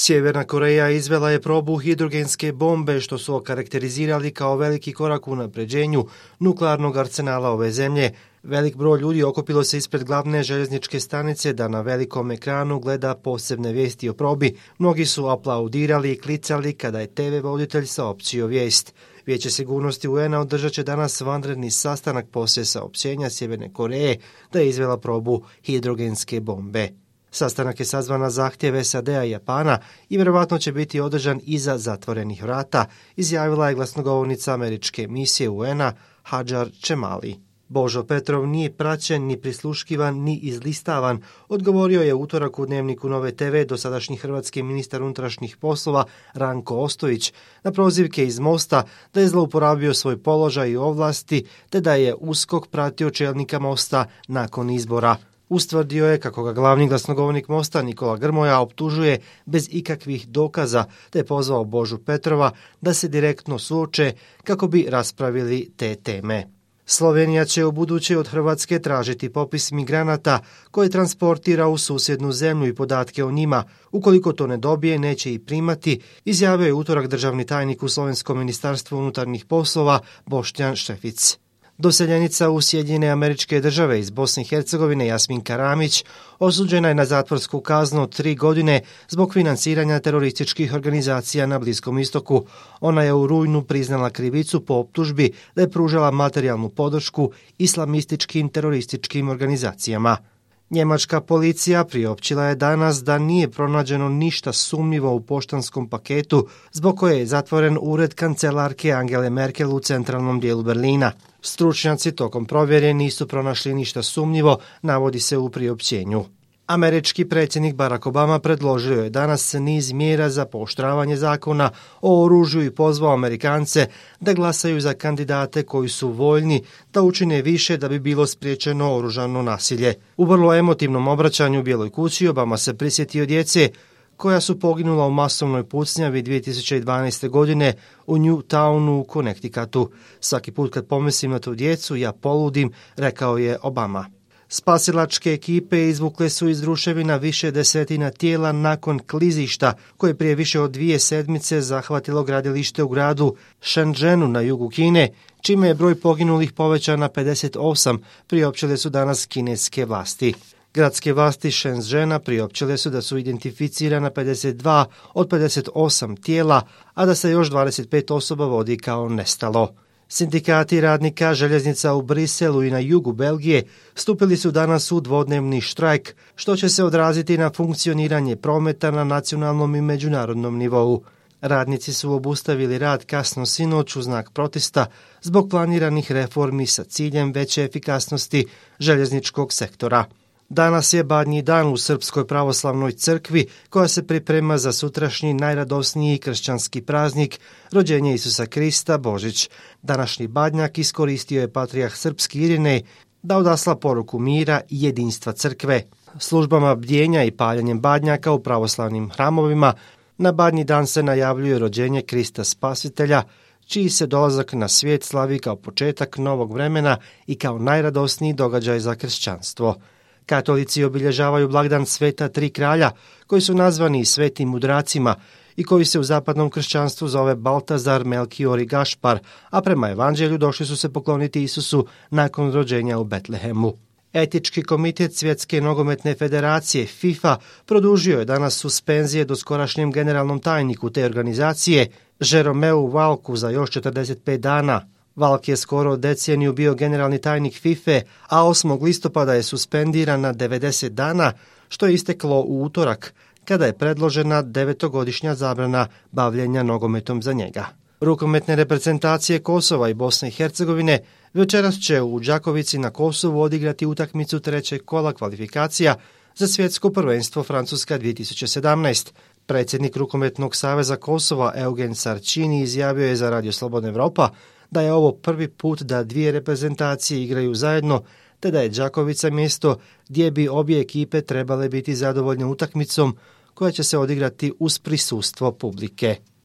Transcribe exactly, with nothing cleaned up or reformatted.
Sjeverna Koreja izvela je probu hidrogenske bombe, što su okarakterizirali kao veliki korak u unapređenju nuklearnog arsenala ove zemlje. Velik broj ljudi okupilo se ispred glavne željezničke stanice da na velikom ekranu gleda posebne vijesti o probi. Mnogi su aplaudirali i klicali kada je te ve voditelj saopćio vijest. Vijeće sigurnosti u en a održat će danas vanredni sastanak poslije saopćenja Sjeverne Koreje da je izvela probu hidrogenske bombe. Sastanak je sazvan na zahtjev es a de a i Japana i vjerovatno će biti održan iza zatvorenih vrata, izjavila je glasnogovornica američke misije u en a Hadžar Čemali. Božo Petrov nije praćen, ni prisluškivan, ni izlistavan, odgovorio je utorak u Dnevniku Nove te ve dosadašnji hrvatski ministar unutrašnjih poslova Ranko Ostojić na prozivke iz Mosta da je zlouporabio svoj položaj i ovlasti te da je USKOK pratio čelnika Mosta nakon izbora. Ustvrdio je kako ga glavni glasnogovornik Mosta Nikola Grmoja optužuje bez ikakvih dokaza te je pozvao Božu Petrova da se direktno suoče kako bi raspravili te teme. Slovenija će u buduće od Hrvatske tražiti popis migranata koje transportira u susjednu zemlju i podatke o njima. Ukoliko to ne dobije, neće ih primati, izjavio je utorak državni tajnik u Slovenskom ministarstvu unutarnjih poslova Boštjan Šefic. Doseljenica u Sjedinjene Američke Države iz Bosne i Hercegovine Jasminka Ramić osuđena je na zatvorsku kaznu od tri godine zbog financiranja terorističkih organizacija na Bliskom istoku. Ona je u rujnu priznala krivicu po optužbi da je pružala materijalnu podršku islamističkim terorističkim organizacijama. Njemačka policija priopćila je danas da nije pronađeno ništa sumnjivo u poštanskom paketu zbog koje je zatvoren ured kancelarke Angele Merkel u centralnom dijelu Berlina. Stručnjaci tokom provjere nisu pronašli ništa sumnjivo, navodi se u priopćenju. Američki predsjednik Barack Obama predložio je danas niz mjera za pooštravanje zakona o oružju i pozvao Amerikance da glasaju za kandidate koji su voljni da učine više da bi bilo spriječeno oružano nasilje. U vrlo emotivnom obraćanju u Bijeloj kući Obama se prisjetio djece koja su poginula u masovnoj pucnjavi dvije tisuće dvanaeste. godine u Newtownu u Connecticutu. Svaki put kad pomislim na tu djecu, ja poludim, rekao je Obama. Spasilačke ekipe izvukle su iz ruševina više desetina tijela nakon klizišta koje prije više od dvije sedmice zahvatilo gradilište u gradu Shenzhenu na jugu Kine, čime je broj poginulih povećan na pedeset osam, priopćile su danas kineske vlasti. Gradske vlasti Shenzhena priopćile su da su identificirana pedeset dva od pedeset osam tijela, a da se još dvadeset pet osoba vodi kao nestalo. Sindikati radnika željeznica u Briselu i na jugu Belgije stupili su danas u dvodnevni štrajk, što će se odraziti na funkcioniranje prometa na nacionalnom i međunarodnom nivou. Radnici su obustavili rad kasno sinoć u znak protesta zbog planiranih reformi sa ciljem veće efikasnosti željezničkog sektora. Danas je Badnji dan u Srpskoj pravoslavnoj crkvi koja se priprema za sutrašnji najradosniji kršćanski praznik, rođenje Isusa Krista, Božić. Današnji badnjak iskoristio je patrijarh srpski Irinej da odasla poruku mira i jedinstva crkve. Službama bdjenja i paljenjem badnjaka u pravoslavnim hramovima na Badnji dan se najavljuje rođenje Krista Spasitelja, čiji se dolazak na svijet slavi kao početak novog vremena i kao najradosniji događaj za kršćanstvo. Katolici obilježavaju blagdan Sveta Tri kralja, koji su nazvani svetim mudracima i koji se u zapadnom kršćanstvu zove Baltazar, Melkior i Gašpar, a prema evanđelju došli su se pokloniti Isusu nakon rođenja u Betlehemu. Etički komitet Svjetske nogometne federacije FIFA produžio je danas suspenzije doskorašnjem generalnom tajniku te organizacije, Jeromeu Valku, za još četrdeset pet dana. Valk je skoro deceniju bio generalni tajnik fife, a osmog listopada je suspendiran na devedeset dana, što je isteklo u utorak, kada je predložena devetogodišnja zabrana bavljenja nogometom za njega. Rukometne reprezentacije Kosova i Bosne i Hercegovine večeras će u Đakovici na Kosovu odigrati utakmicu trećeg kola kvalifikacija za svjetsko prvenstvo Francuska dvije tisuće sedamnaeste. Predsjednik Rukometnog saveza Kosova Eugen Sarčini izjavio je za Radio Slobodna Evropa da je ovo prvi put da dvije reprezentacije igraju zajedno, te da je Đakovica mjesto gdje bi obje ekipe trebale biti zadovoljne utakmicom koja će se odigrati uz prisustvo publike.